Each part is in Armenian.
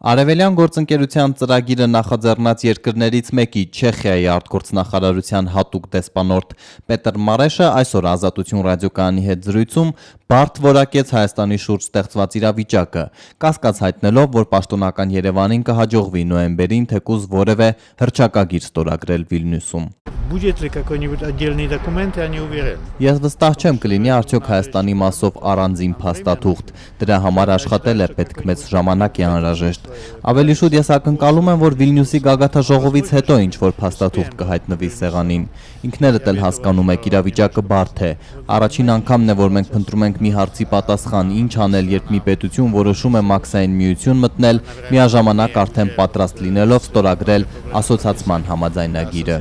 Արևելյան գործընկերության ծրագիրը նախաձեռնած երկրներից մեկի Չեխիայի արտգործնախարարության հատուկ դեսպանորդ Պետր Մարեշը այսօր Ազատություն ռադիոկայանի հետ զրույցում բարդ որակեց Հայաստանի շուրջ ստեղծված իրավիճակը, կասկած հայտնելով, որ պաշտոնական Երևանին կհաջողվի նոյեմբերին թեկուզ որևէ հռչակագիր ստորագրել Վիլնյուսում։ Будет ли какой-нибудь отдельный документ, я не уверен. Ես վստահ չեմ կլինի արդյոք Հայաստանի մասով առանձին փաստաթուղթ, դրա համար աշխատել է պետք մեծ ժամանակ է անհրաժեշտ։ Ավելի շուտ ես ակնկալում եմ, որ Վիլնյուսի գագաթաժողովից հետո ինչ-որ փաստաթուղթ կհայտնվի սեղանին։ Ինքներդ էլ հասկանում եք, իրավիճակը բարդ է։ Առաջին անգամն է, որ մենք փնտրում ենք մի հարցի պատասխան, ինչ անել, երբ մի պետություն որոշում է մաքսային միություն մտնել, միաժամանակ արդեն պատրաստ լինելով ստորագրել ասոցացման համաձայնագիրը։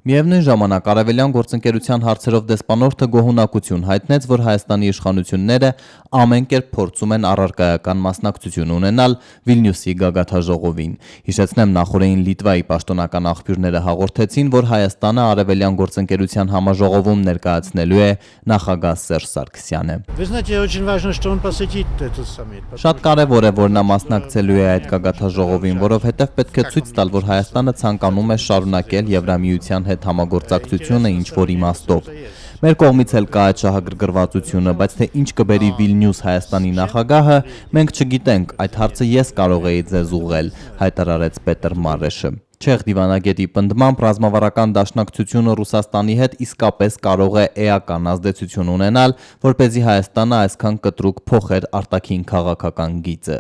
Միևնույն ժամանակ Արևելյան գործընկերության հարցերով դեսպանորդը գոհունակություն հայտնեց, որ Հայաստանի իշխանությունները ամեն կերպ փորձում են առարկայական մասնակցություն ունենալ Վիլնյուսի գագաթաժողովին։ Հիշեցնեմ, նախորդին Լիտվայի պաշտոնական աղբյուրները հաղորդեցին, որ Հայաստանը Արևելյան գործընկերության համաժողովում ներկայացնելու է նախագահ Սերժ Սարգսյանը։ Շատ կարևոր է, որ նա մասնակցելու է այդ գագաթաժողովին, որովհետև պետք է ցույց տալ, որ Հայաստանը ցանկանում է շարունակել Եվրամիության հետ համագործակցությունը ինչ-որ իմաստով։ Մեր կողմից էլ կա այդ շահագրգռվածությունը, բայց թե ինչ կբերի Վիլնյուս Հայաստանի նախագահը, մենք չգիտենք, այդ հարցը ես կարող էի ձեզ ուղղել, հայտարարեց Պետր Մարեշը։ Չեխ դիվանագետի պնդմամբ ռազմավարական դաշնակցությունը Ռուսաստանի հետ իսկապես կարող է էական ազդեցություն ունենալ, որպեսզի Հայաստանը այսքան կտրուկ փոխեր արտաքին քաղաքական գիծը։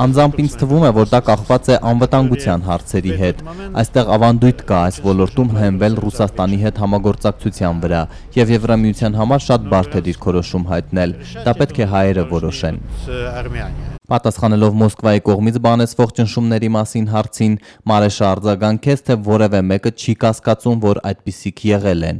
Անձամբ ինձ թվում է, որ դա կախված է անվտանգության հարցերի հետ։ Այստեղ ավանդույթ կա այս ոլորտում հենվել Ռուսաստանի հետ համագործակցության վրա, եւ Եվրամիության համար շատ բարդ է դիրքորոշում հայտնել։ Դա պետք է հայերը որոշեն։ Պատասխանելով Մոսկվայի կողմից բանեցվող ճնշումների մասին հարցին, Մարեշը արձագանքեց, թե որևէ մեկը չի կասկածում, որ այդպիսիք եղել են։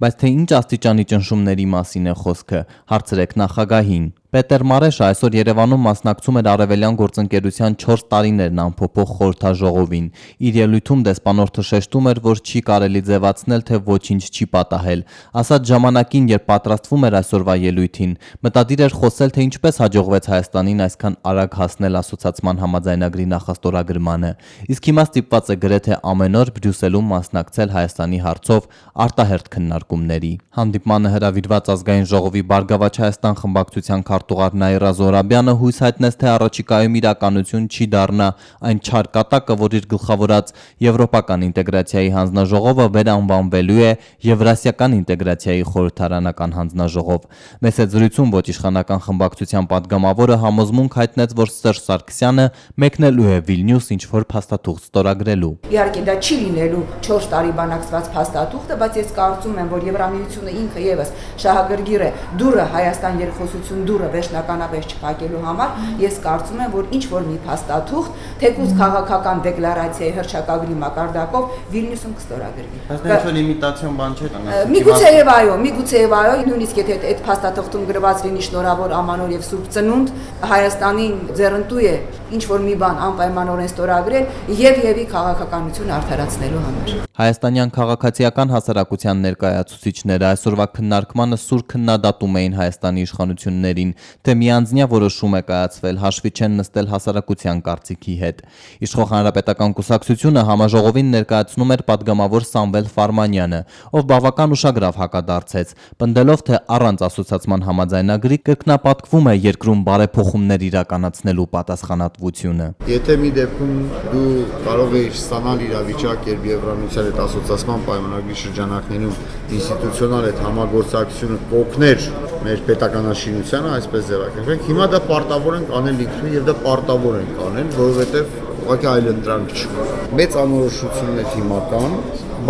Բայց թե ինչ աստիճանի ճնշումների մասին է խոսքը, հարցրեք նախագահին։ Պետր Մարեշը այսօր Երևանում մասնակցում էր Արևելյան գործընկերության 4 տարիներն անփոփոխ խորհրդաժողովին։ Իր ելույթում դեսպանորդը շեշտում էր, որ չի կարելի ձևացնել, թե ոչինչ չի պատահել։ Ասած ժամանակին, երբ պատրաստվում էր այսօրվա ելույթին, մտադիր էր խոսել, թե ինչպես հաջողվեց Հայաստանին այսքան արագ հասնել ասոցացման համաձայնագրի նախաստորագրմանը։ Իսկ հիմա ստիպված է գրեթե ամեն օր Բրյուսելում մասնակցել Հայաստանի հարցով արտահերթ քննարկումների։ Հանդիպմանը հրավիրված ազգային ժողովի Բարգավաճ Հայաստան խմբակցության քարտուղար Նաիրա Զոհրաբյանը հույս հայտնեց, թե առաջիկայում իրականություն չի դառնա այն չար կատակը, որ իր գլխավորած եվրոպական ինտեգրացիայի հանձնաժողովը վերանվանվելու է Եվրասիական ինտեգրացիայի խորհրդարանական հանձնաժողով։ Մեծ զրույցում ոչ իշխանական խմբակցության падգամավորը համոզմունք հայտնեց, որ Սերժ Սարգսյանը մեկնելու է Վիլնյուս ինչ-որ փաստաթուղթ ստորագրելու։ Իհարկե դա չի լինելու 4 տարի բանակցված փաստաթուղթը, բայց ես կարծում եմ, որ Եվրամիությունը ինքը եւս շահագրգիռ է դուրը Հայաստան երկխոսություն դուրը վերջնականապես չփակելու համար, ես կարծում եմ, որ ինչ որ մի փաստաթուղթ, թեկուզ քաղաքական դեկլարացիայի հռչակագրի մակարդակով Վիլնյուսում կստորագրվի։ Բայց դա ինչ-որ իմիտացիոն բան չէ։ Միգուցեև այո, նույնիսկ եթե այդ փաստաթղթում գրված լինի շնորհավոր Ամանոր եւ Սուրբ Ծնունդ, Հայաստանին ձեռնտու է ինչ որ մի բան անպայմանորեն ստորագրել եւ քաղաքականություն արդարացնելու համար։ Հայաստանյան քաղաքացիական հասարակության ներկայացուցիչները այսօրվա քննարկմանը սուր քննադատում էին Հայաստանի իշխանություններին, թե միանձնյա որոշում է կայացվել, հաշվի չեն նստել հասարակության կարծիքի հետ։ Իշխող Հանրապետական կուսակցությունը համաժողովին ներկայացնում էր падգամավոր Սամվել Ֆարմանյանը, ով բավական ուշագրավ հակադարձեց, պնդելով, թե առանց ասոցացման համաձայնագրի կրկնապատկվում է երկրում բարեփոխումներ իրականացնելու պատասխանատվությունը։ Եթե մի դեպքում դու կարող ես ստանալ իրավիճակ, երբ Եվրամիության հետ ասոցացման պայմանագրի շրջանակներում ինստիտուցիոնալ այդ համագործակցությունը կօգներ մեր պետականաշինությանը, այսպես ձևակերպենք, հիմա դա պարտավոր ենք անել ինքնուրույն եւ դա պարտավոր ենք անել, որովհետեւ ուղղակի այլ ընտրանք չկա։ Մեծ անորոշություններ հիմա կան,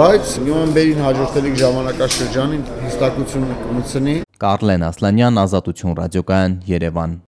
բայց նոյեմբերին հաջորդելիք ժամանակաշրջանին հստակություն կմտցնի։ Կարլեն Ասլանյան, Ազատություն ռադիոկայան, Երևան։